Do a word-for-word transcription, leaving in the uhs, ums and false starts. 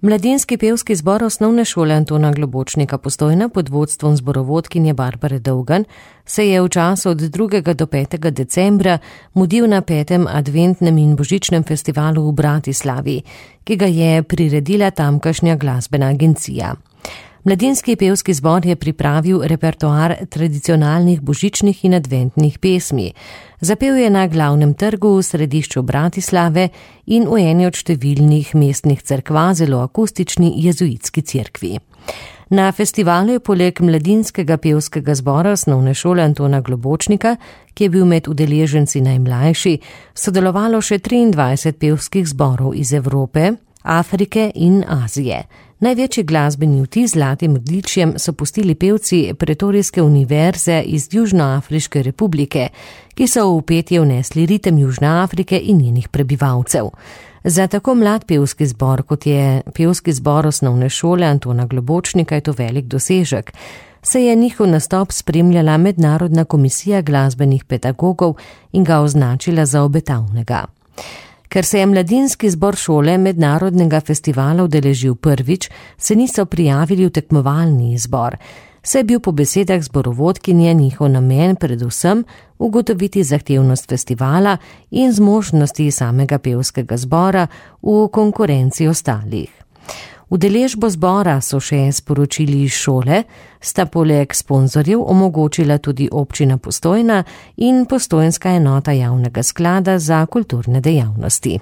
Mladinski pevski zbor Osnovne šole Antona Globočnika Postojna pod vodstvom zborovodkinje Barbare Dolgan se je v času od drugega do petega decembra mudil na petem adventnem in božičnem festivalu v Bratislavi, ki ga je priredila tamkajšnja glasbena agencija. Mladinski pevski zbor je pripravil repertoar tradicionalnih božičnih in adventnih pesmi. Zapel je na glavnem trgu v središču Bratislave in v eni od številnih mestnih cerkva zelo akustični jezuitski cerkvi. Na festivalu je poleg mladinskega pevskega zbora Osnovne šole Antona Globočnika, ki je bil med udeleženci najmlajši, sodelovalo še triindvajset pevskih zborov iz Evrope, Afrike in Azije. Največji glasbeni vtis z zlatim odličjem so pustili pevci Pretorijske univerze iz Južnoafriške republike, ki so v petje vnesli ritem Južne Afrike in njenih prebivalcev. Za tako mlad pevski zbor, kot je pevski zbor Osnovne šole Antona Globočnika, je to velik dosežek. Se je njihov nastop spremljala Mednarodna komisija glasbenih pedagogov in ga označila za obetavnega. Ker se je mladinski zbor šole mednarodnega festivala udeležil prvič, se niso prijavili v tekmovalni izbor. Se je bil po besedah zborovodkinje njihov namen predvsem ugotoviti zahtevnost festivala in zmožnosti samega pevskega zbora v konkurenci ostalih. Udeležbo zbora so še sporočili iz šole, sta poleg sponzorjev omogočila tudi občina Postojna in postojnska enota javnega sklada za kulturne dejavnosti.